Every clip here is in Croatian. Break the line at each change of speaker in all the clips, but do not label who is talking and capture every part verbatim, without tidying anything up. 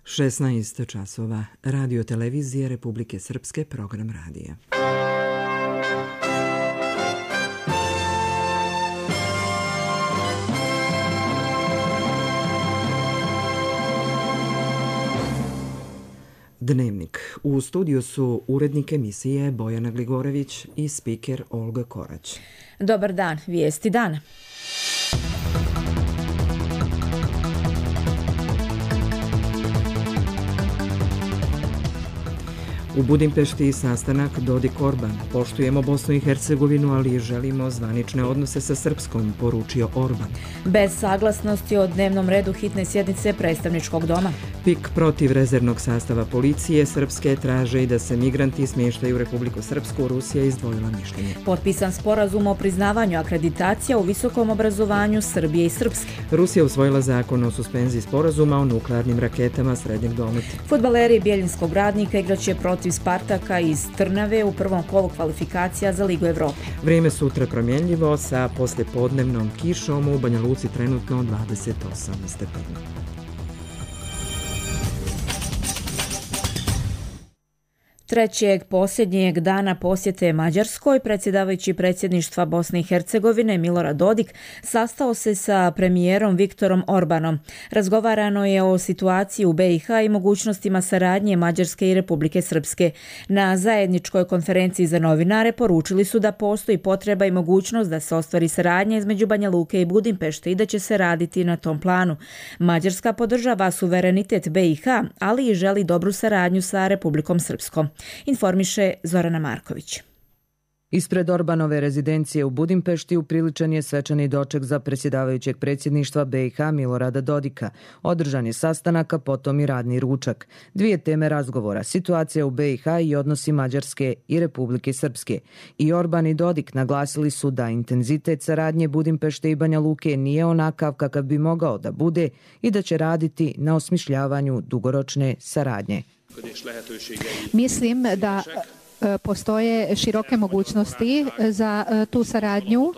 šesnaest časova. Radio televizije Republike Srpske, program radija. Dnevnik. U studiju su urednik emisije Bojana Gligorević i spiker Olga Korać.
Dobar dan, vijesti dana.
U Budimpešti sastanak Dodik-Orban. Poštujemo Bosnu i Hercegovinu, ali želimo zvanične odnose sa Srpskom, poručio Orban.
Bez saglasnosti o dnevnom redu hitne sjednice predstavničkog doma.
P I K protiv rezervnog sastava policije Srpske traže i da se migranti smještaju u Republiku Srpsku. Rusija izdvojila mišljenje.
Potpisan sporazum o priznavanju akreditacija u visokom obrazovanju Srbije i Srpske.
Rusija usvojila zakon o suspenziji sporazuma o nuklearnim raketama srednjeg dometa.
Fudbaleri Bjeljinskog Radnika igraće protiv Spartaka iz Trnave u prvom kolu kvalifikacija za Ligu Evrope.
Vrijeme sutra promjenljivo sa poslijepodnevnom kišom, u Banja Luci trenutno dvadeset osam stepeni.
Trećeg posljednjeg dana posjete Mađarskoj, predsjedavajući predsjedništva Bosne i Hercegovine Milorad Dodik sastao se sa premijerom Viktorom Orbanom. Razgovarano je o situaciji u be i ha i mogućnostima saradnje Mađarske i Republike Srpske. Na zajedničkoj konferenciji za novinare poručili su da postoji potreba i mogućnost da se ostvari saradnja između Banja Luke i Budimpešte i da će se raditi na tom planu. Mađarska podržava suverenitet be i ha, ali i želi dobru saradnju sa Republikom Srpskom. Informiše Zorana Marković.
Ispred Orbanove rezidencije u Budimpešti upriličen je svečani doček za predsjedavajućeg predsjedništva be i ha Milorada Dodika. Održan je sastanak, a potom i radni ručak. Dvije teme razgovora, situacija u be i ha i odnosi Mađarske i Republike Srpske. I Orban i Dodik naglasili su da intenzitet saradnje Budimpešte i Banja Luke nije onakav kakav bi mogao da bude i da će raditi na osmišljavanju dugoročne saradnje.
Mislim da postoje široke mogućnosti za tu saradnju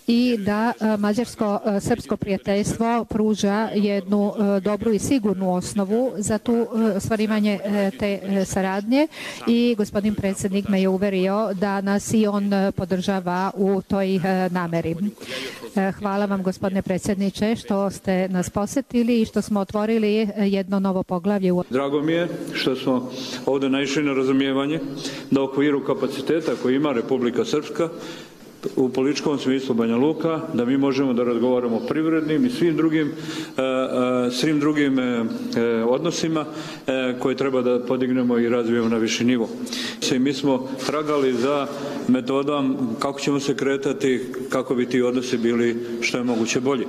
i da mađarsko-srpsko prijateljstvo pruža jednu dobru i sigurnu osnovu za tu ostvarivanje te saradnje i gospodin predsjednik me je uverio da nas i on podržava u toj nameri. Hvala vam, gospodine predsjedniče, što ste nas posjetili i što smo otvorili jedno novo poglavlje.
Drago mi je što smo ovdje naišli na razumijevanje da u okviru kapaciteta koji ima Republika Srpska u političkom smislu Banja Luka, da mi možemo da razgovaramo o privrednim i svim drugim, svim drugim odnosima koje treba da podignemo i razvijemo na viši nivo. I mi smo tragali za metodom kako ćemo se kretati, kako bi ti odnosi bili što je moguće bolji.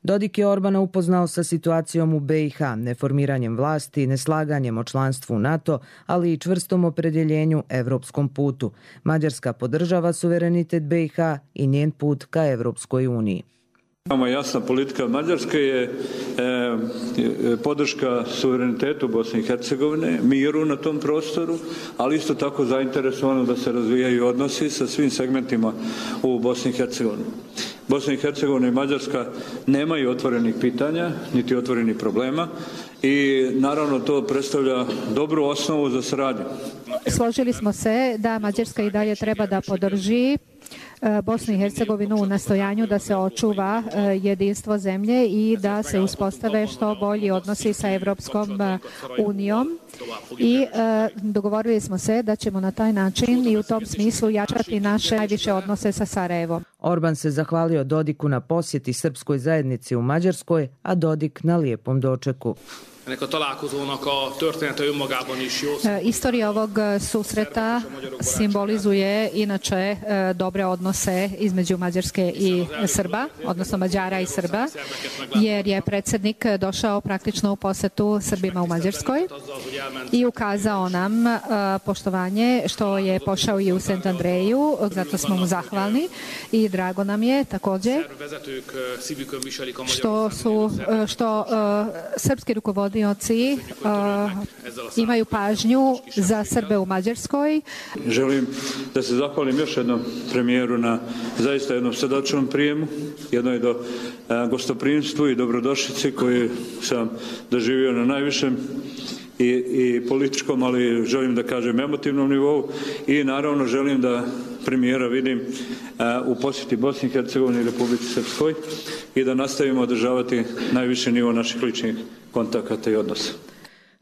Dodik je Orbana upoznao sa situacijom u be i ha, neformiranjem vlasti, neslaganjem o članstvu u NATO, ali i čvrstom opredjeljenju evropskom putu. Mađarska podržava suverenitet be i ha i njen put ka Evropskoj uniji.
Nama jasna politika Mađarske je e, podrška suverenitetu Bosne i Hercegovine, miru na tom prostoru, ali isto tako zainteresovano da se razvijaju odnosi sa svim segmentima u Bosni i Hercegovini. Bosna i Hercegovina i Mađarska nemaju otvorenih pitanja, niti otvorenih problema i naravno to predstavlja dobru osnovu za saradnju.
Složili smo se da Mađarska i dalje treba da podrži Bosnu i Hercegovinu u nastojanju da se očuva jedinstvo zemlje i da se uspostave što bolji odnosi sa Evropskom unijom i dogovorili smo se da ćemo na taj način i u tom smislu jačati naše najviše odnose sa Sarajevom.
Orban se zahvalio Dodiku na posjeti srpskoj zajednici u Mađarskoj, a Dodik na lijepom dočeku.
Istorija ovog susreta simbolizuje inače dobre odnose između Mađarske i Srba, odnosno Mađara i Srba, jer je predsjednik došao praktično u posjetu Srbima u Mađarskoj i ukazao nam poštovanje što je pošao i u Sent Andreju, zato smo mu zahvalni i drago nam je također što su što srpski rukovoditelji podnioci uh, imaju pažnju za Srbe u Mađarskoj.
Želim da se zahvalim još jednom premijeru na zaista jednom srdačnom prijemu, jednoj do uh, gostoprimstvu i dobrodošlici koju sam doživio na najvišem I, i političkom, ali želim da kažem emotivnom nivou i naravno želim da premijera vidim uh, u posjeti Bosni i Hercegovini i Republici Srpskoj i da nastavimo održavati najviši nivo naših ličnih kontakata i odnosa.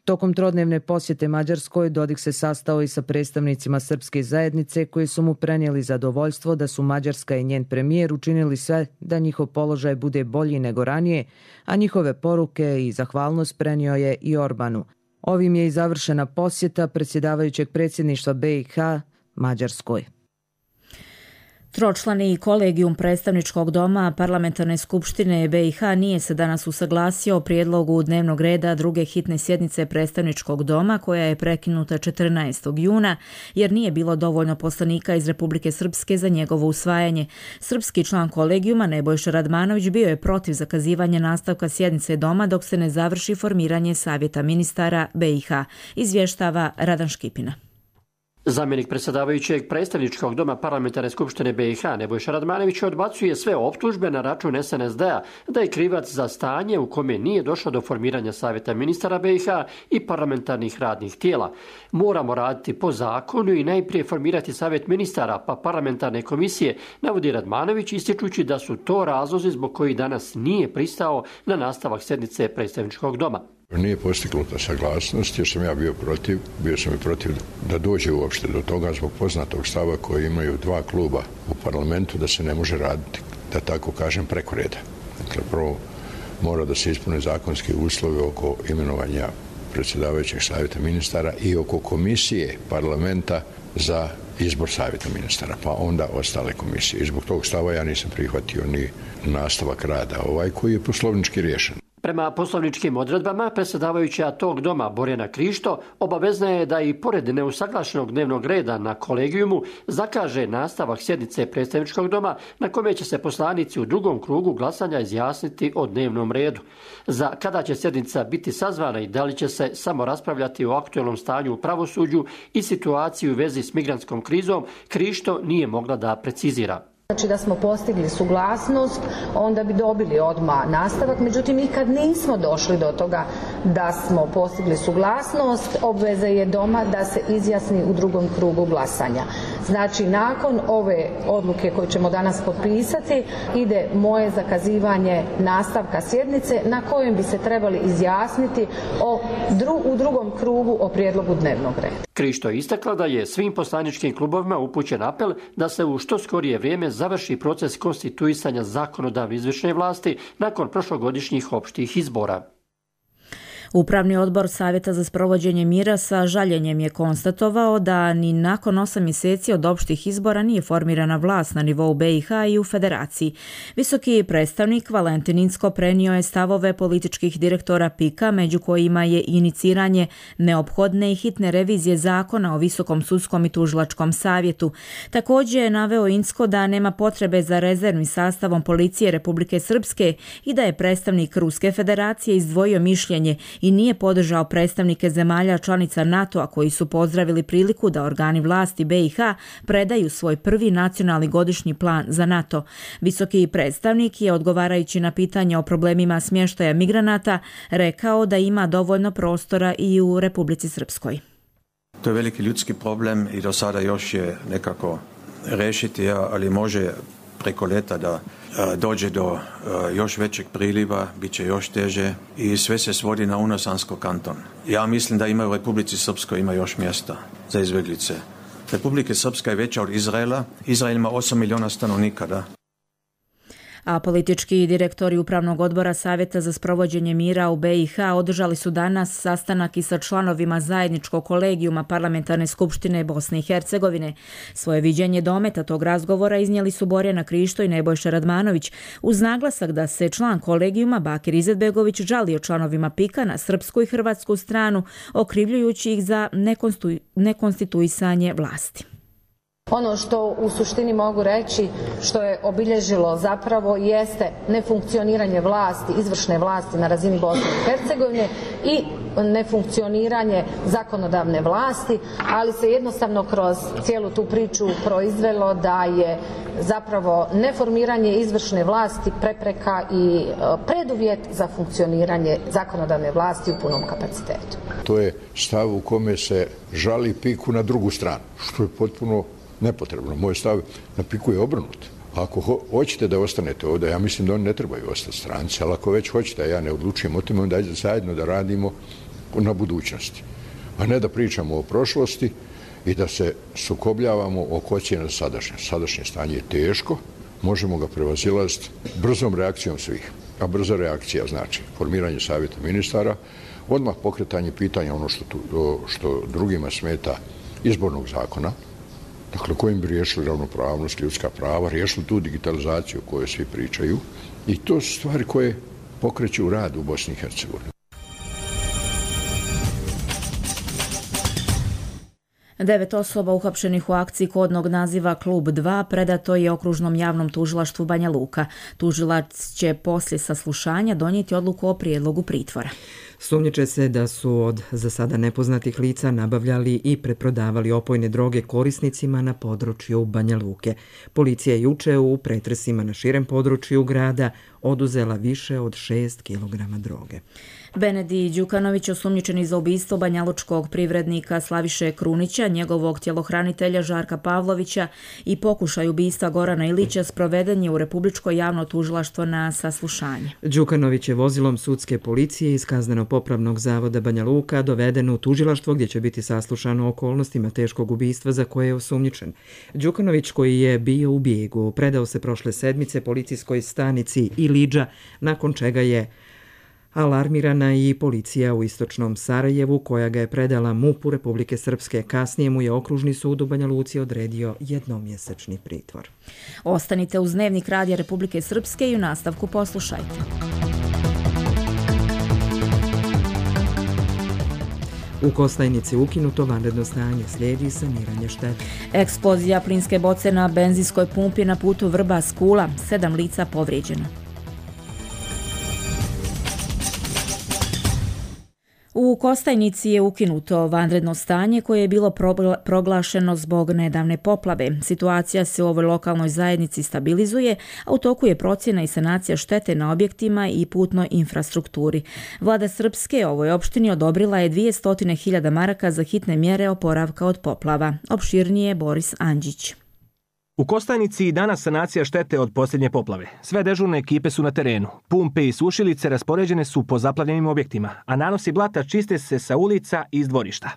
Tokom trodnevne posjete Mađarskoj Dodik se sastao i sa predstavnicima srpske zajednice koji su mu prenijeli zadovoljstvo da su Mađarska i njen premijer učinili sve da njihov položaj bude bolji nego ranije, a njihove poruke i zahvalnost prenio je i Orbanu. Ovim je i završena posjeta predsjedavajućeg predsjedništva B i H Mađarskoj.
Tročlani kolegijum predstavničkog doma Parlamentarne skupštine B i H nije se danas usaglasio o prijedlogu dnevnog reda druge hitne sjednice predstavničkog doma koja je prekinuta četrnaestog juna jer nije bilo dovoljno poslanika iz Republike Srpske za njegovo usvajanje. Srpski član kolegijuma Nebojša Radmanović bio je protiv zakazivanja nastavka sjednice doma dok se ne završi formiranje savjeta ministara B i H, izvještava Radan Škipina.
Zamjenik predsjedavajućeg predstavničkog doma Parlamentarne skupštine B i H Nebojša Radmanović odbacuje sve optužbe na račun S N S D-a da je krivac za stanje u kome nije došlo do formiranja savjeta ministara B i H i parlamentarnih radnih tijela. Moramo raditi po zakonu i najprije formirati savjet ministara pa parlamentarne komisije, navodi Radmanović ističući da su to razlozi zbog koji danas nije pristao na nastavak sjednice predstavničkog doma.
Nije postignuta saglasnost jer sam ja bio protiv, bio sam i protiv da dođe uopšte do toga zbog poznatog stava koji imaju dva kluba u parlamentu da se ne može raditi, da tako kažem, preko reda. Dakle, prvo mora da se ispune zakonski uslovi oko imenovanja predsjedavajućeg savjeta ministara i oko komisije parlamenta za izbor savjeta ministara, pa onda ostale komisije. I zbog tog stava ja nisam prihvatio ni nastavak rada ovaj koji je poslovnički riješen.
Prema poslovničkim odredbama, predsjedavajuća tog doma Borjana Krišto obavezna je da i pored neusaglašenog dnevnog reda na kolegijumu zakaže nastavak sjednice predstavničkog doma na kome će se poslanici u drugom krugu glasanja izjasniti o dnevnom redu. Za kada će sjednica biti sazvana i da li će se samo raspravljati o aktualnom stanju u pravosuđu i situaciji u vezi s migrantskom krizom, Krišto nije mogla da precizira.
Znači da smo postigli suglasnost, onda bi dobili odmah nastavak. Međutim, i kad nismo došli do toga da smo postigli suglasnost, obveza je doma da se izjasni u drugom krugu glasanja. Znači, nakon ove odluke koju ćemo danas potpisati, ide moje zakazivanje nastavka sjednice na kojem bi se trebali izjasniti o dru, u drugom krugu o prijedlogu dnevnog reda.
Krišto je istakla da je svim poslaničkim klubovima upućen apel da se u što skorije vrijeme završi proces konstituisanja zakonodavne izvršne vlasti nakon prošlogodišnjih opštih izbora.
Upravni odbor Savjeta za sprovođenje mira sa žaljenjem je konstatovao da ni nakon osam mjeseci od opštih izbora nije formirana vlast na nivou B i H i u federaciji. Visoki predstavnik Valentin Incko prenio je stavove političkih direktora P I K-a, među kojima je iniciranje neophodne i hitne revizije zakona o Visokom sudskom i tužilačkom savjetu. Također je naveo Incko da nema potrebe za rezervnim sastavom policije Republike Srpske i da je predstavnik Ruske federacije izdvojio mišljenje i nije podržao predstavnike zemalja članica NATO-a koji su pozdravili priliku da organi vlasti B i H predaju svoj prvi nacionalni godišnji plan za NATO. Visoki predstavnik je, odgovarajući na pitanje o problemima smještaja migranata, rekao da ima dovoljno prostora i u Republici Srpskoj.
To je veliki ljudski problem i do sada još je nekako rešiti, ali može preko leta da dođe do još većeg priliva, bit će još teže i sve se svodi na Unosansko kanton. Ja mislim da ima u Republici Srpskoj ima još mjesta za izbjeglice. Republika Srpska je veća od Izraela. Izrael ima osam milijuna stanovnika, da.
A politički direktori Upravnog odbora Savjeta za sprovođenje mira u B i H održali su danas sastanak i sa članovima zajedničkog kolegijuma Parlamentarne skupštine Bosne i Hercegovine. Svoje viđenje dometa tog razgovora iznijeli su Borjana Krišto i Nebojša Radmanović, uz naglasak da se član kolegijuma Bakir Izetbegović žalio članovima P I K-a na srpsku i hrvatsku stranu, okrivljujući ih za nekonstitu- nekonstituisanje vlasti.
Ono što u suštini mogu reći što je obilježilo zapravo jeste nefunkcioniranje vlasti, izvršne vlasti na razini Bosne i Hercegovine i nefunkcioniranje zakonodavne vlasti, ali se jednostavno kroz cijelu tu priču proizvelo da je zapravo neformiranje izvršne vlasti prepreka i preduvjet za funkcioniranje zakonodavne vlasti u punom kapacitetu.
To je stav u kome se žali piku na drugu stranu, što je potpuno nepotrebno. Moj stav na piku je obrnut. Ako ho hoćete da ostanete ovdje, ja mislim da oni ne trebaju ostati stranci, ali ako već hoćete, a ja ne odlučujem o tome, onda ajde zajedno da radimo na budućnosti. A ne da pričamo o prošlosti i da se sukobljavamo oko ocjene sadašnje. Sadašnje stanje je teško, možemo ga prevazilaziti brzom reakcijom svih. A brza reakcija znači formiranje savjeta ministara, odmah pokretanje pitanja ono što, tu, što drugima smeta izbornog zakona, dakle kojim bi riješili ravnopravnost, ljudska prava, riješili tu digitalizaciju o kojoj svi pričaju i to su stvari koje pokreću rad u Bosni i Hercegovini.
Devet osoba uhapšenih u akciji kodnog naziva Klub dva predato je okružnom javnom tužilaštvu Banja Luka. Tužilac će poslije saslušanja donijeti odluku o prijedlogu pritvora.
Sumnjiče se da su od za sada nepoznatih lica nabavljali i preprodavali opojne droge korisnicima na području Banja Luke. Policija je juče u pretresima na širem području grada oduzela više od šest kilograma droge.
Benedi Đukanović, osumnjičeni za ubistvo banjalučkog privrednika Slaviše Krunića, njegovog tjelohranitelja Žarka Pavlovića i pokušaj ubistva Gorana Ilića, sproveden je u Republičko javno tužilaštvo na saslušanje.
Đukanović je vozilom sudske policije iz Kazneno-popravnog zavoda Banja Luka doveden u tužilaštvo gdje će biti saslušan o okolnostima teškog ubistva za koje je osumnjičen. Đukanović, koji je bio u bijegu, predao se prošle sedmice policijskoj stanici Iliđa, nakon čega je alarmirana i policija u istočnom Sarajevu, koja ga je predala MUP-u Republike Srpske. Kasnije mu je okružni sud u Banja Luci odredio jednomjesečni pritvor.
Ostanite uz Dnevnik Radija Republike Srpske i u nastavku poslušajte.
U Kostajnici ukinuto vanredno stanje, slijedi saniranje štete.
Eksplozija plinske boce na benzinskoj pumpi na putu Vrba-Skula, sedam lica povrijeđeno. U Kostajnici je ukinuto vanredno stanje koje je bilo proglašeno zbog nedavne poplave. Situacija se u ovoj lokalnoj zajednici stabilizuje, a u toku je procjena i sanacija štete na objektima i putnoj infrastrukturi. Vlada Srpske ovoj opštini odobrila je dvjesto hiljada maraka za hitne mjere oporavka od poplava. Opširnije Boris Andžić.
U Kostajnici danas sanacija štete od posljednje poplave. Sve dežurne ekipe su na terenu. Pumpe i sušilice raspoređene su po zaplavljenim objektima, a nanosi blata čiste se sa ulica i iz dvorišta.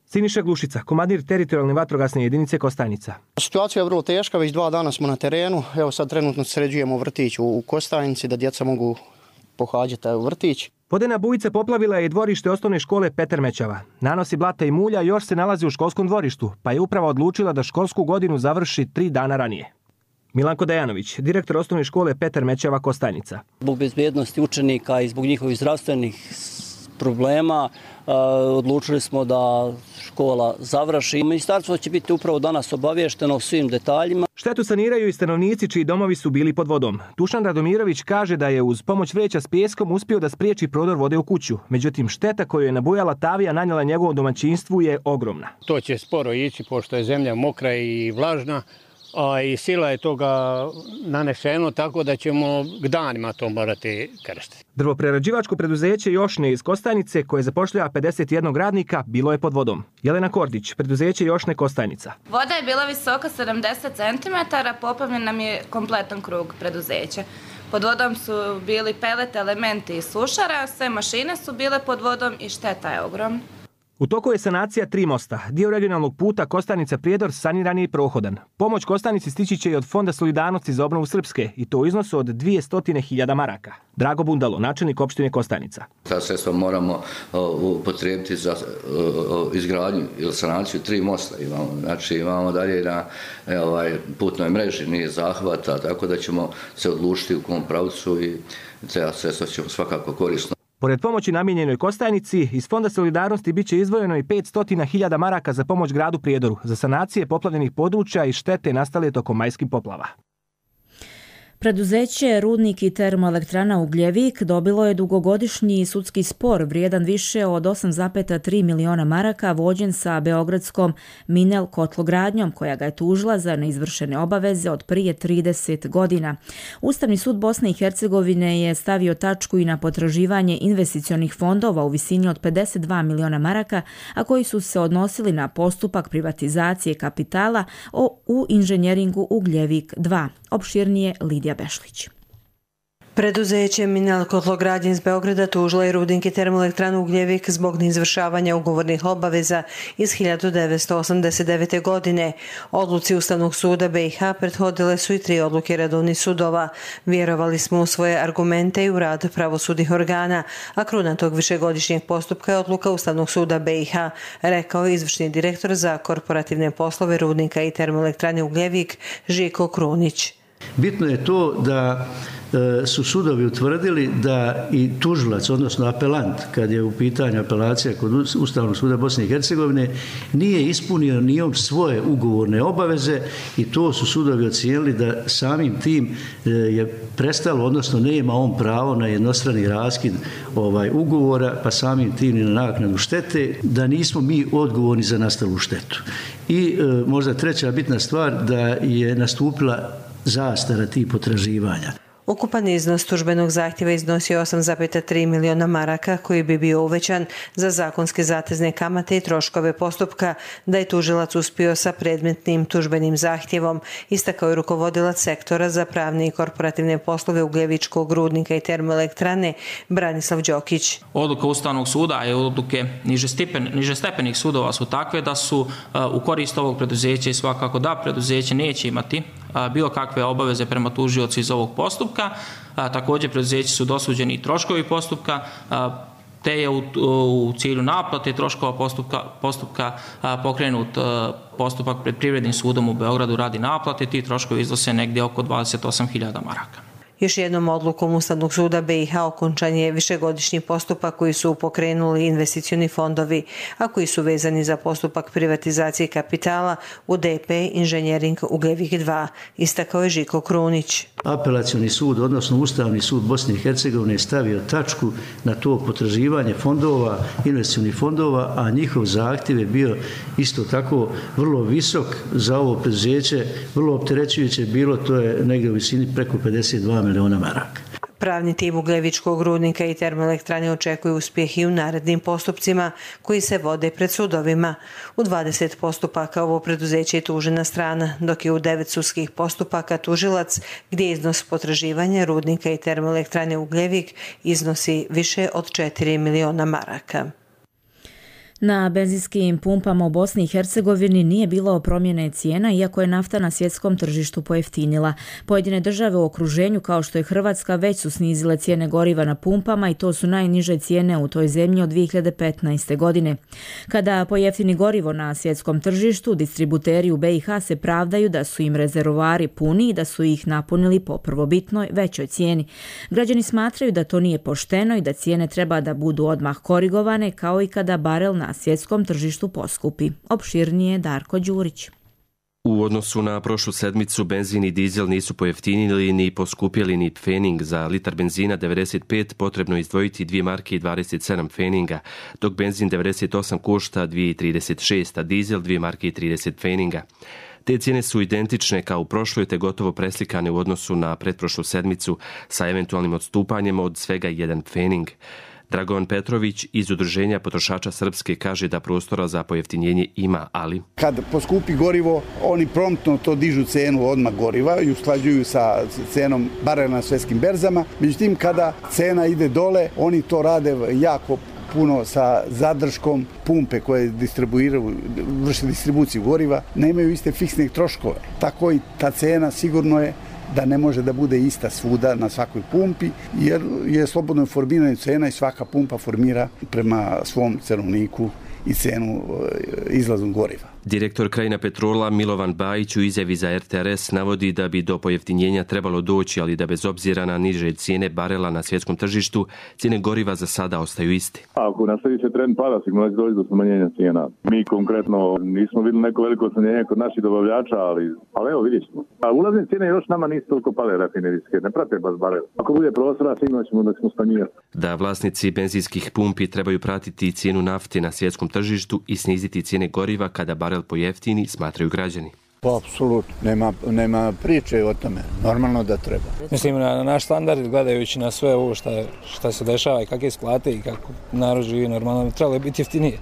Siniša Glušica, komandir teritorijalne vatrogasne jedinice Kostajnica.
Situacija je vrlo teška, već dva dana smo na terenu. Evo sad trenutno sređujemo vrtić u Kostajnici da djeca mogu pohađati vrtić.
Vodena bujica poplavila je i dvorište osnovne škole Petar Mećava. Nanosi blata i mulja još se nalazi u školskom dvorištu, pa je uprava odlučila da školsku godinu završi tri dana ranije. Milanko Dejanović, direktor osnovne škole Petar Mećava Kostajnica.
Zbog bezbjednosti učenika i zbog njihovih zdravstvenih problema odlučili smo da škola završi. Ministarstvo će biti upravo danas obavješteno o svim detaljima.
Štetu saniraju i stanovnici čiji domovi su bili pod vodom. Dušan Radomirović kaže da je uz pomoć vreća s pijeskom uspio da spriječi prodor vode u kuću. Međutim, šteta koju je nabujala Tavija nanijela njegovom domaćinstvu je ogromna.
To će sporo ići pošto je zemlja mokra i vlažna. A i sila je toga nanešeno, tako da ćemo danima to morati krstiti.
Drvoprerađivačko preduzeće Jošne iz Kostajnice, koje zapošljava pedeset jedan radnika, bilo je pod vodom. Jelena Kordić, preduzeće Jošne Kostajnica.
Voda je bila visoka sedamdeset centimetara, poplavljen nam je kompletan krug preduzeća. Pod vodom su bili pelet, elementi i sušara, sve mašine su bile pod vodom i šteta je ogromna.
U toku je sanacija tri mosta. Dio regionalnog puta Kostajnica-Prijedor saniran je i prohodan. Pomoć Kostajnici stići će i od Fonda solidarnosti za obnovu Srpske i to u iznosu od dvjesto hiljada maraka. Drago Bundalo, načelnik opštine Kostajnica.
Ta sredstva moramo upotrijebiti za izgradnju ili sanaciju tri mosta. Imamo, znači imamo dalje na ovaj, putnoj mreži nije zahvata, tako da ćemo se odlučiti u kom pravcu i te sredstva ćemo svakako korisno.
Pored pomoći namijenjenoj Kostajnici, iz Fonda solidarnosti bit će izdvojeno i petsto hiljada maraka za pomoć gradu Prijedoru za sanacije poplavljenih područja i štete nastale tokom majskih poplava.
Preduzeće Rudnik i termoelektrana Ugljevik dobilo je dugogodišnji sudski spor vrijedan više od osam zarez tri miliona maraka vođen sa beogradskom Minel kotlogradnjom koja ga je tužila za neizvršene obaveze od prije trideset godina. Ustavni sud Bosne i Hercegovine je stavio tačku i na potraživanje investicionih fondova u visini od pedeset dva miliona maraka, a koji su se odnosili na postupak privatizacije kapitala u inženjeringu Ugljevik dva. Opširnije Lidija Bešlić.
Preduzeće Minel kotlogradnje iz Beograda tužila je Rudnik i termoelektranu Ugljevik zbog neizvršavanja ugovornih obaveza iz hiljadu devetsto osamdeset devete. godine. Odluci Ustavnog suda B i H prethodile su i tri odluke redovnih sudova. Vjerovali smo u svoje argumente i u rad pravosudnih organa, a kruna tog višegodišnjeg postupka je odluka Ustavnog suda B i H, rekao je izvršni direktor za korporativne poslove Rudnika i termoelektrane Ugljevik Žiko Krunić.
Bitno je to da su sudovi utvrdili da i tužilac, odnosno apelant, kad je u pitanju apelacija kod Ustavnog suda Bosne i Hercegovine, nije ispunio ni on svoje ugovorne obaveze i to su sudovi ocijenili da samim tim je prestalo, odnosno nema on pravo na jednostrani raskid ovaj, ugovora, pa samim tim i na naknadu štete, da nismo mi odgovorni za nastalu štetu. I e, možda treća bitna stvar, da je nastupila zastara tih potraživanja.
Ukupan iznos tužbenog zahtjeva iznosio osam zarez tri miliona maraka koji bi bio uvećan za zakonske zatezne kamate i troškove postupka da je tužilac uspio sa predmetnim tužbenim zahtjevom, istakao je rukovodilac sektora za pravne i korporativne poslove Ugljevičkog rudnika i termoelektrane Branislav Đokić.
Odluka Ustavnog suda i odluke nižestepenih sudova su takve da su u korist ovog preduzeća i svakako da preduzeće neće imati bilo kakve obaveze prema tužiocu iz ovog postupka. A, također preduzeći su dosuđeni i troškovi postupka, a, te je u, u cilju naplate troškova postupka, postupka a, pokrenut a, postupak pred Privrednim sudom u Beogradu radi naplate. Ti troškovi iznose negdje oko dvadeset osam hiljada maraka.
Još jednom odlukom Ustavnog suda B i H okončan je višegodišnji postupak koji su pokrenuli investicioni fondovi, a koji su vezani za postupak privatizacije kapitala u D P Inženjering Ugljevik dva, istakao je Žiko Krunić.
Apelacioni sud, odnosno Ustavni sud Bosne i Hercegovine je stavio tačku na to potraživanje fondova, investicionih fondova, a njihov zahtjev je bio isto tako vrlo visok za ovo preduzeće, vrlo opterećujuće bilo, to je negdje u visini preko pedeset dva miliona maraka.
Pravni tim Ugljevičkog rudnika i termoelektrane očekuje uspjeh i u narednim postupcima koji se vode pred sudovima. U dvadeset postupaka ovo preduzeće je tužena strana, dok je u devet sudskih postupaka tužilac gdje iznos potraživanja rudnika i termoelektrane Ugljevik iznosi više od četiri miliona maraka.
Na benzinskim pumpama u Bosni i Hercegovini nije bilo promjene cijena, iako je nafta na svjetskom tržištu pojeftinila. Pojedine države u okruženju, kao što je Hrvatska, već su snizile cijene goriva na pumpama i to su najniže cijene u toj zemlji od dvije hiljade petnaeste. godine. Kada pojeftini gorivo na svjetskom tržištu, distributeri u B i H se pravdaju da su im rezervoari puni i da su ih napunili po prvobitnoj većoj cijeni. Građani smatraju da to nije pošteno i da cijene treba da budu odmah korigovane, kao i kada barel na na svjetskom tržištu poskupi. Opširnije Darko Đurić.
U odnosu na prošlu sedmicu benzin i dizel nisu pojeftinili ni poskupjeli ni pfening. Za litar benzina devedeset pet potrebno izdvojiti dvije marke i dvadeset sedam pfeninga, dok benzin devedeset osam košta dvije trideset šest, a dizel dvije marke i trideset pfeninga. Te cijene su identične kao u prošloj te gotovo preslikane u odnosu na pretprošlu sedmicu sa eventualnim odstupanjem od svega jedan pfening. Dragovan Petrović iz Udruženja potrošača Srpske kaže da prostora za pojeftinjenje ima, ali...
Kad poskupi gorivo, oni promptno to dižu cenu odmah goriva i usklađuju sa cenom barela na svjetskim berzama. Međutim, kada cena ide dole, oni to rade jako puno sa zadrškom. Pumpe koje distribuiraju, vrše distribuciju goriva, nemaju iste fiksne troškove. Tako i ta cena sigurno je da ne može da bude ista svuda na svakoj pumpi, jer je slobodno formirana cena i svaka pumpa formira prema svom cenovniku i cenu izlaznog goriva.
Direktor Krajina Petrola Milovan Bajić u izjavi za R T R S navodi da bi do pojeftinjenja trebalo doći, ali da bez obzira na niže cijene barela na svjetskom tržištu, cijene goriva za sada ostaju isti.
Ako nastavi se trend pada, sigurno će doći do smanjenja cijena. Mi konkretno nismo vidjeli neko veliko smanjenje kod naših dobavljača, ali, ali evo vidjet ćemo. A ulazne cijene još nama nisu toliko pale rafinerijske, ne prate baš barel. Ako bude prostora, sigurno ćemo da ćemo smanjivati.
Da vlasnici benzinskih pumpi trebaju pratiti cijenu nafte na svjetskom tržištu i sniziti cijene goriva kada barel pojeftini, smatraju građani.
Pa, apsolutno. Nema, nema priče o tome. Normalno da treba.
Mislim, na naš standard, gledajući na sve ovo šta, šta se dešava i kakve isplate i kako narod živi normalno, trebalo biti jeftinije.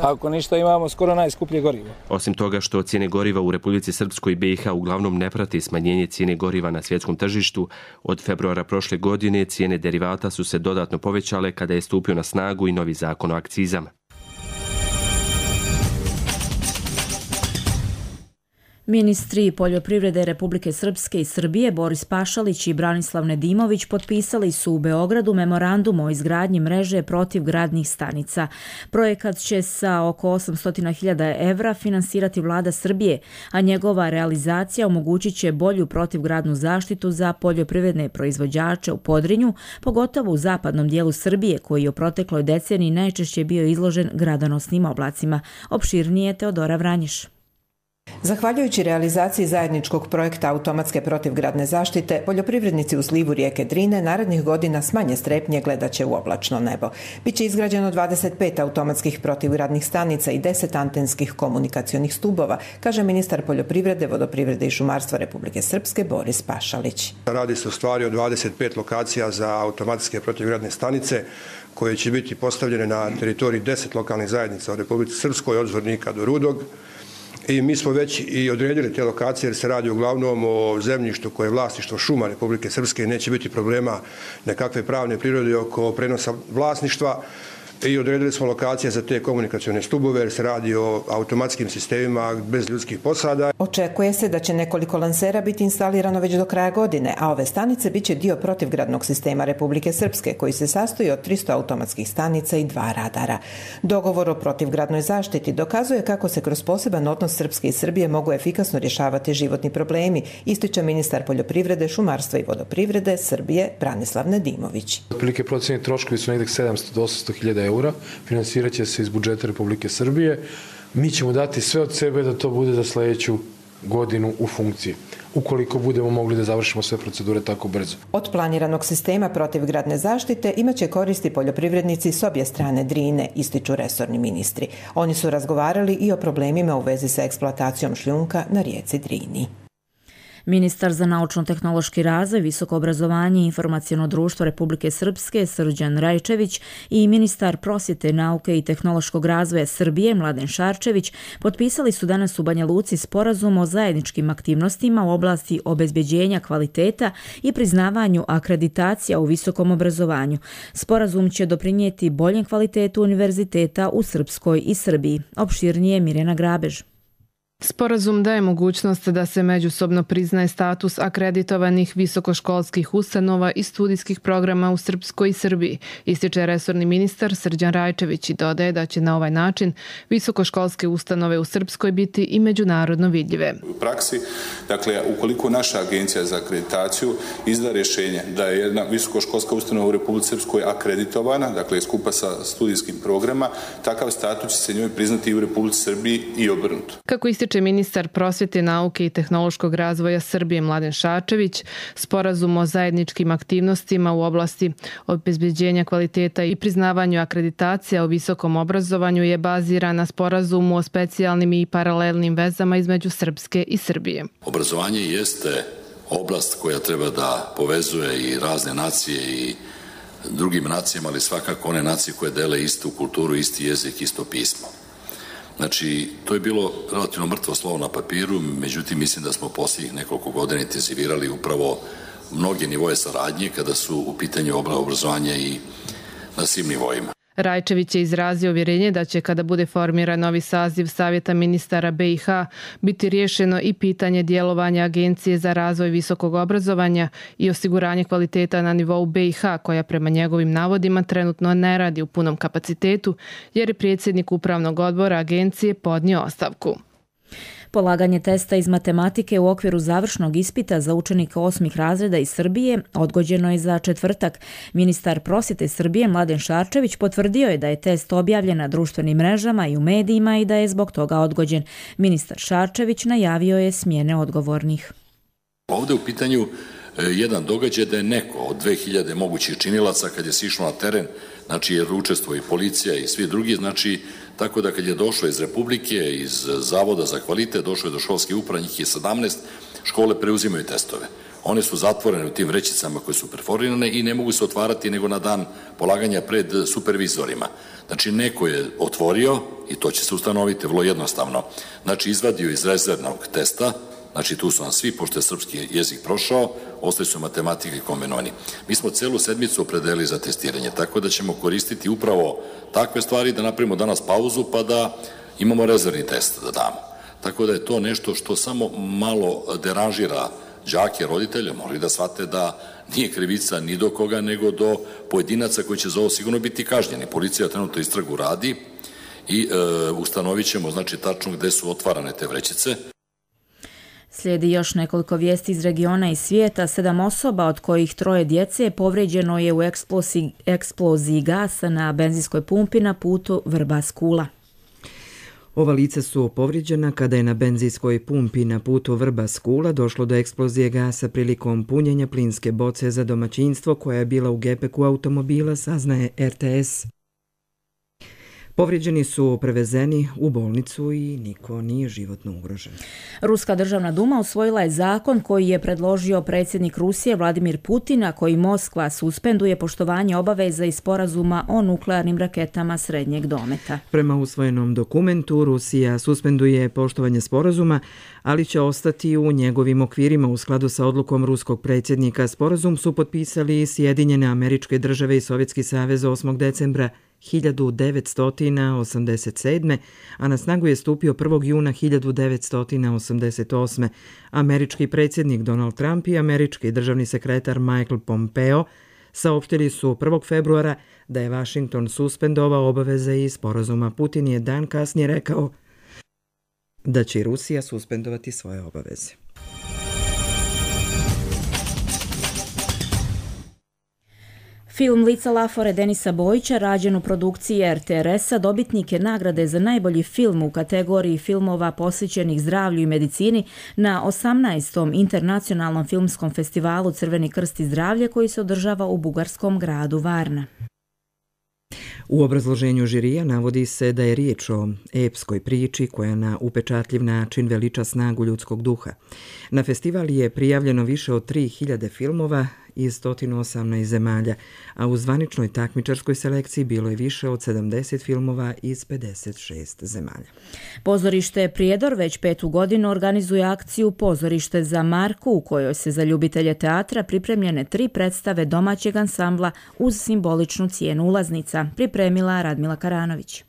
Ako ništa, imamo skoro najskuplje gorivo.
Osim toga što cijene goriva u Republici Srpskoj i B i H uglavnom ne prati smanjenje cijene goriva na svjetskom tržištu, od februara prošle godine cijene derivata su se dodatno povećale kada je stupio na snagu i novi zakon o akcizama.
Ministri poljoprivrede Republike Srpske i Srbije Boris Pašalić i Branislav Nedimović potpisali su u Beogradu memorandum o izgradnji mreže protivgradnih stanica. Projekat će sa oko osamsto hiljada evra finansirati vlada Srbije, a njegova realizacija omogućit će bolju protivgradnu zaštitu za poljoprivredne proizvođače u Podrinju, pogotovo u zapadnom dijelu Srbije, koji je u protekloj deceniji najčešće bio izložen gradonosnim oblacima. Opširnije Teodora Vranješ.
Zahvaljujući realizaciji zajedničkog projekta automatske protivgradne zaštite, poljoprivrednici u slivu rijeke Drine narednih godina s manje strepnje gledat će u oblačno nebo. Biće izgrađeno dvadeset pet automatskih protivgradnih stanica i deset antenskih komunikacionih stubova, kaže ministar poljoprivrede, vodoprivrede i šumarstva Republike Srpske Boris Pašalić.
Radi se u stvari o dvadeset pet lokacija za automatske protivgradne stanice koje će biti postavljene na teritoriji deset lokalnih zajednica u Republici Srpskoj, od Zvornika do Rudog. I mi smo već i odredili te lokacije jer se radi uglavnom o zemljištu koje je vlasništvo šuma Republike Srpske i neće biti problema nekakve pravne prirode oko prenosa vlasništva. I odredili smo lokacije za te komunikacione stubove jer se radi o automatskim sistemima bez ljudskih posada.
Očekuje se da će nekoliko lansera biti instalirano već do kraja godine, a ove stanice biće dio protivgradnog sistema Republike Srpske koji se sastoji od tristo automatskih stanica i dva radara. Dogovor o protivgradnoj zaštiti dokazuje kako se kroz poseban odnos Srpske i Srbije mogu efikasno rješavati životni problemi, ističe ministar poljoprivrede, šumarstva i vodoprivrede Srbije Branislav Nedimović.
Otprilike procenjeni troškovi su negdje sedamsto do osamsto hiljada eura, finansirat će se iz budžeta Republike Srbije. Mi ćemo dati sve od sebe da to bude za sljedeću godinu u funkciji, ukoliko budemo mogli da završimo sve procedure tako brzo.
Od planiranog sistema protivgradne zaštite imaće koristi poljoprivrednici s obje strane Drine, ističu resorni ministri. Oni su razgovarali i o problemima u vezi sa eksploatacijom šljunka na rijeci Drini.
Ministar za naučno-tehnološki razvoj, visoko obrazovanje i informaciono društvo Republike Srpske Srđan Rajčević i ministar prosvjete, nauke i tehnološkog razvoja Srbije Mladen Šarčević potpisali su danas u Banja Luci sporazum o zajedničkim aktivnostima u oblasti obezbeđenja kvaliteta i priznavanju akreditacija u visokom obrazovanju. Sporazum će doprinijeti boljem kvalitetu univerziteta u Srpskoj i Srbiji. Opširnije Mirjana Grabež.
Sporazum daje mogućnost da se međusobno priznaje status akreditovanih visokoškolskih ustanova i studijskih programa u Srpskoj i Srbiji, ističe resorni ministar Srđan Rajčević i dodaje da će na ovaj način visokoškolske ustanove u Srpskoj biti i međunarodno vidljive.
U praksi, dakle, ukoliko naša agencija za akreditaciju izda rješenje da je jedna visokoškolska ustanova u Republici Srpskoj akreditovana, dakle, skupa sa studijskim programa, takav status će se njoj priznati i u Republici Srbiji i obrnuto.
Kako ističe ministar prosvjete, nauke i tehnološkog razvoja Srbije Mladen Šarčević, sporazum o zajedničkim aktivnostima u oblasti obezbeđenja kvaliteta i priznavanju akreditacija u visokom obrazovanju je baziran na sporazumu o specijalnim i paralelnim vezama između Srpske i Srbije.
Obrazovanje jeste oblast koja treba da povezuje i razne nacije i drugim nacijama, ali svakako one nacije koje dele istu kulturu, isti jezik, isto pismo. Znači, to je bilo relativno mrtvo slovo na papiru, međutim, mislim da smo posljednjih nekoliko godina intenzivirali upravo mnoge nivoje saradnje kada su u pitanju obrazovanja i na svim nivoima.
Rajčević je izrazio uvjerenje da će, kada bude formiran novi saziv Savjeta ministara B i H, biti riješeno i pitanje djelovanja Agencije za razvoj visokog obrazovanja i osiguranje kvaliteta na nivou B i H, koja prema njegovim navodima trenutno ne radi u punom kapacitetu, jer je predsjednik upravnog odbora agencije podnio ostavku.
Polaganje testa iz matematike u okviru završnog ispita za učenike osmih razreda iz Srbije odgođeno je za četvrtak. Ministar prosvjete Srbije Mladen Šarčević potvrdio je da je test objavljen na društvenim mrežama i u medijima i da je zbog toga odgođen. Ministar Šarčević najavio je smjene odgovornih.
Ovde u pitanju jedan događaj da je neko od dve hiljade mogućih činilaca kad je sišlo na teren, znači jer učestvuje i policija i svi drugi, znači tako da kad je došlo iz Republike, iz Zavoda za kvalitet, došlo je do školske uprave, njih je sedamnaest, škole preuzimaju testove. One su zatvorene u tim vrećicama koje su perforirane i ne mogu se otvarati nego na dan polaganja pred supervizorima. Znači neko je otvorio, i to će se ustanoviti vrlo jednostavno, znači izvadio iz rezervnog testa, znači tu su nam svi, pošto je srpski jezik prošao, ostali su matematika i kombinovani. Mi smo celu sedmicu opredelili za testiranje, tako da ćemo koristiti upravo takve stvari, da napravimo danas pauzu pa da imamo rezervni test da damo. Tako da je to nešto što samo malo deranžira đake, roditelje, moraju da shvate da nije krivica ni do koga, nego do pojedinaca koji će za ovo sigurno biti kažnjeni. Policija trenutno istragu radi i e, ustanovit ćemo, znači, tačno gde su otvarane te vrećice.
Slijedi još nekoliko vijesti iz regiona i svijeta. Sedam osoba, od kojih troje djece, povrijeđeno je u eksploziji, eksploziji gasa na benzinskoj pumpi na putu Vrbas-Kula.
Ova lica su povrijeđena kada je na benzinskoj pumpi na putu Vrbas-Kula došlo do eksplozije gasa prilikom punjenja plinske boce za domaćinstvo koja je bila u gepeku automobila, saznaje er te es. Povrijeđeni su prevezeni u bolnicu i niko nije životno ugrožen.
Ruska državna duma usvojila je zakon koji je predložio predsjednik Rusije Vladimir Putin, a koji Moskva suspenduje poštovanje obaveza i sporazuma o nuklearnim raketama srednjeg dometa.
Prema usvojenom dokumentu Rusija suspenduje poštovanje sporazuma, ali će ostati u njegovim okvirima u skladu sa odlukom ruskog predsjednika. Sporazum su potpisali Sjedinjene Američke Države i Sovjetski savez osmog decembra hiljadu devetsto osamdeset sedme. a na snagu je stupio prvog juna hiljadu devetsto osamdeset osme. Američki predsjednik Donald Trump i američki državni sekretar Michael Pompeo saopštili su prvog februara da je Washington suspendovao obaveze iz sporazuma. Putin je dan kasnije rekao da će i Rusija suspendovati svoje obaveze.
Film Lica Lafore Denisa Bojića, rađen u produkciji er te er es-a, dobitnik je nagrade za najbolji film u kategoriji filmova posvećenih zdravlju i medicini na osamnaestom internacionalnom filmskom festivalu Crveni krst i zdravlje koji se održava u bugarskom gradu Varna.
U obrazloženju žirija navodi se da je riječ o epskoj priči koja na upečatljiv način veliča snagu ljudskog duha. Na festival je prijavljeno više od tri hiljade filmova iz sto osamnaest zemalja, a u zvaničnoj takmičarskoj selekciji bilo je više od sedamdeset filmova iz pedeset šest zemalja.
Pozorište Prijedor već petu godinu organizuje akciju Pozorište za Marku, u kojoj se za ljubitelje teatra pripremljene tri predstave domaćeg ansambla uz simboličnu cijenu ulaznica, pripremila Radmila Karanović.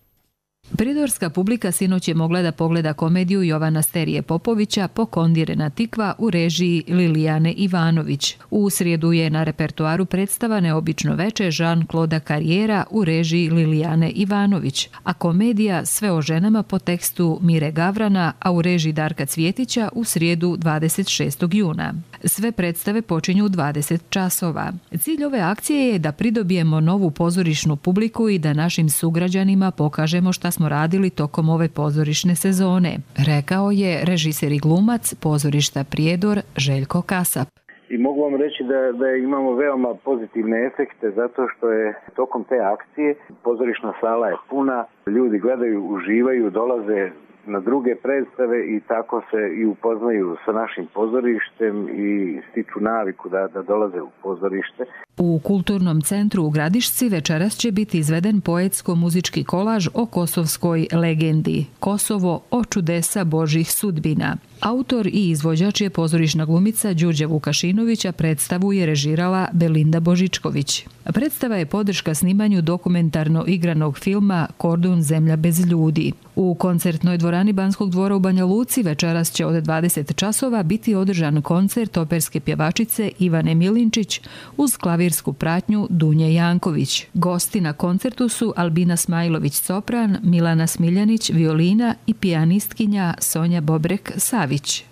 Pridorska publika sinoć je mogla da pogleda komediju Jovana Sterije Popovića Pokondirena tikva u režiji Lilijane Ivanović. U srijedu je na repertoaru predstava Neobično veče Jean-Claude Carriera u režiji Lilijane Ivanović, a komedija Sve o ženama po tekstu Mire Gavrana, a u režiji Darka Cvjetića u srijedu dvadeset šestog juna. Sve predstave počinju u dvadeset časova. Cilj ove akcije je da pridobijemo novu pozorišnu publiku i da našim sugrađanima pokažemo šta smo radili tokom ove pozorišne sezone, rekao je režiser i glumac pozorišta Prijedor Željko Kasap.
I mogu vam reći da, da imamo veoma pozitivne efekte zato što je tokom te akcije pozorišna sala je puna, ljudi gledaju, uživaju, dolaze na druge predstave i tako se i upoznaju sa našim pozorištem i stiču naviku da, da dolaze u pozorište.
U Kulturnom centru u Gradišci večeras će biti izveden poetsko-muzički kolaž o kosovskoj legendi Kosovo o čudesa Božih sudbina. Autor i izvođač je pozorišna glumica Đurđa Vukašinovića, predstavu je režirala Belinda Božičković. Predstava je podrška snimanju dokumentarno igranog filma Kordun zemlja bez ljudi. U koncertnoj dvorani Banskog dvora u Banja Luci večeras će od dvadeset časova biti održan koncert operske pjevačice Ivane Milinčić uz klavirsku pratnju Dunje Janković. Gosti na koncertu su Albina Smajlović-Sopran, Milana Smiljanić, violina i pijanistkinja Sonja Bobrek-Savić.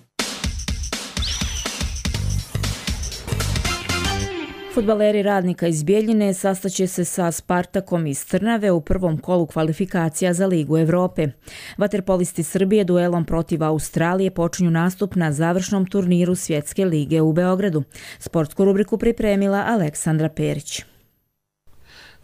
Fudbaleri Radnika iz Bjeljine sastaće se sa Spartakom iz Trnave u prvom kolu kvalifikacija za Ligu Evrope. Vaterpolisti Srbije duelom protiv Australije počinju nastup na završnom turniru Svjetske lige u Beogradu. Sportsku rubriku pripremila Aleksandra Perić.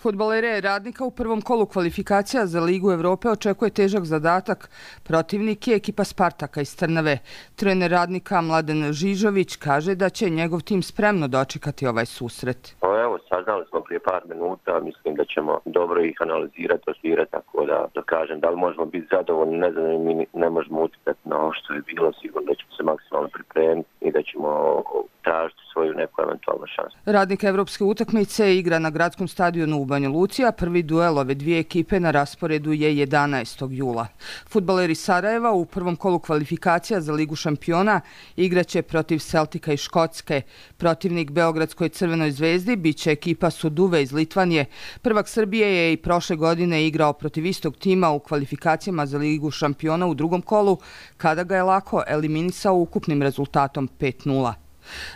Fudbalere Radnika u prvom kolu kvalifikacija za Ligu Evrope očekuje težak zadatak. Protivnik je ekipa Spartaka iz Trnave. Trener Radnika Mladen Žižović kaže da će njegov tim spremno dočekati ovaj susret.
Evo, saznali smo prije par minuta, mislim da ćemo dobro ih analizirati, osvirati, tako da, da kažem, da li možemo biti zadovoljni, ne znam, mi ne možemo utjecati na ovo što je bilo, sigurno da ćemo se maksimalno pripremiti i da ćemo tražiti svoju neku eventualnu šansu.
Radnik evropske utakmice igra na gradskom stadionu u Banja Luci, a prvi duel ove dvije ekipe na rasporedu je jedanaestog jula. Fudbaleri Sarajeva u prvom kolu kvalifikacija za Ligu šampiona igraće protiv Celtica iz Škotske. Protivnik Beogradskoj Crvenoj zvezdi biće ekipa Suduve iz Litvanije. Prvak Srbije je i prošle godine igrao protiv istog tima u kvalifikacijama za Ligu šampiona u drugom kolu, kada ga je lako eliminisao ukupnim rezultatom pet nula.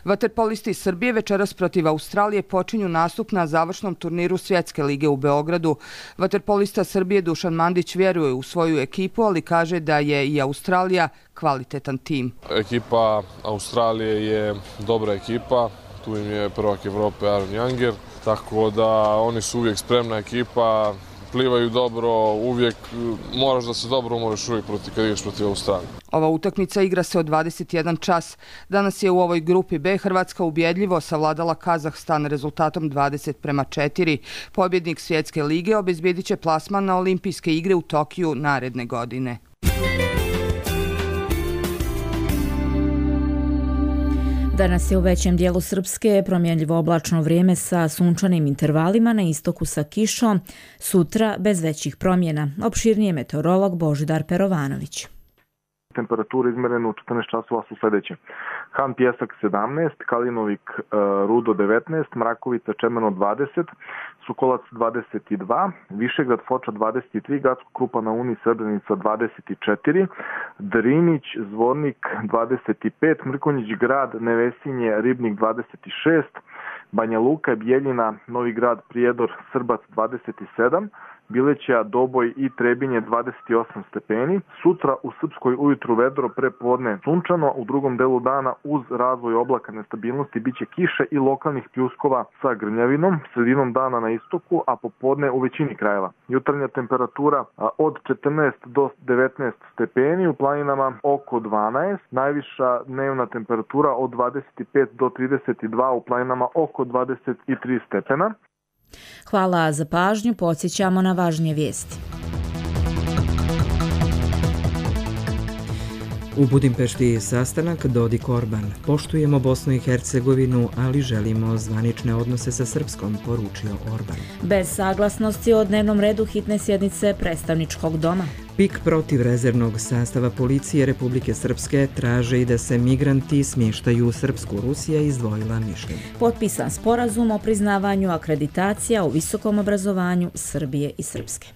Vaterpolisti Srbije večeras protiv Australije počinju nastup na završnom turniru Svjetske lige u Beogradu. Vaterpolista Srbije Dušan Mandić vjeruje u svoju ekipu, ali kaže da je i Australija kvalitetan tim.
Ekipa Australije je dobra ekipa, tu im je prvak Evrope Aaron Younger, tako da oni su uvijek spremna ekipa, plivaju dobro, uvijek moraš da se dobro umoriš uvijek protiv, kad igraš protiv Australije.
Ova utakmica igra se od dvadeset jedan čas. Danas je u ovoj grupi B Hrvatska ubjedljivo savladala Kazahstan rezultatom dvadeset prema četiri. Pobjednik Svjetske lige obezbjedit će plasman na Olimpijske igre u Tokiju naredne godine.
Danas je u većem dijelu Srpske promjenljivo oblačno vrijeme sa sunčanim intervalima, na istoku sa kišom, sutra bez većih promjena. Opširnije meteorolog Božidar Perovanović.
Temperature izmerene u četrnaest časova su sljedeće. Han Pjesak sedamnaest, Kalinovik Rudo devetnaest, Mrakovica Čemeno dvadeset, Sokolac dvadeset dva, Višegrad Foča dvadeset tri, Gacko Krupa na Uni Srebrenica dvadeset četiri, Drinić Zvornik dvadeset pet, Mrkonjić Grad Nevesinje Ribnik dvadeset šest, Banja Luka Bijeljina Novi Grad Prijedor Srbac dvadeset sedam, Bileća, Doboj i Trebinje dvadeset osam stepeni. Sutra u Srpskoj ujutru vedro, prepodne sunčano, u drugom delu dana uz razvoj oblaka nestabilnosti biće kiše i lokalnih pljuskova sa grmljavinom, sredinom dana na istoku, a popodne u većini krajeva. Jutarnja temperatura od četrnaest do devetnaest stepeni, u planinama oko dvanaest, najviša dnevna temperatura od dvadeset pet do trideset dva, u planinama oko dvadeset tri stepena.
Hvala za pažnju, podsjećamo na važnije vijesti.
U Budimpešti sastanak Dodik-Orban. Poštujemo Bosnu i Hercegovinu, ali želimo zvanične odnose sa Srpskom, poručio Orban.
Bez saglasnosti o dnevnom redu hitne sjednice predstavničkog doma.
Pik protiv rezervnog sastava policije Republike Srpske traže i da se migranti smještaju u Srpsku. Rusija izdvojila mišljenje.
Potpisan sporazum o priznavanju akreditacija u visokom obrazovanju Srbije i Srpske.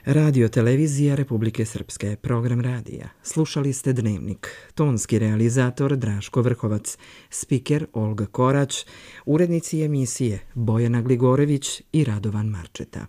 Radio televizija Republike Srpske, program radija. Slušali ste Dnevnik. Tonski realizator Draško Vrhovac, spiker Olga Korać, urednici emisije Bojana Gligorević i Radovan Marčeta.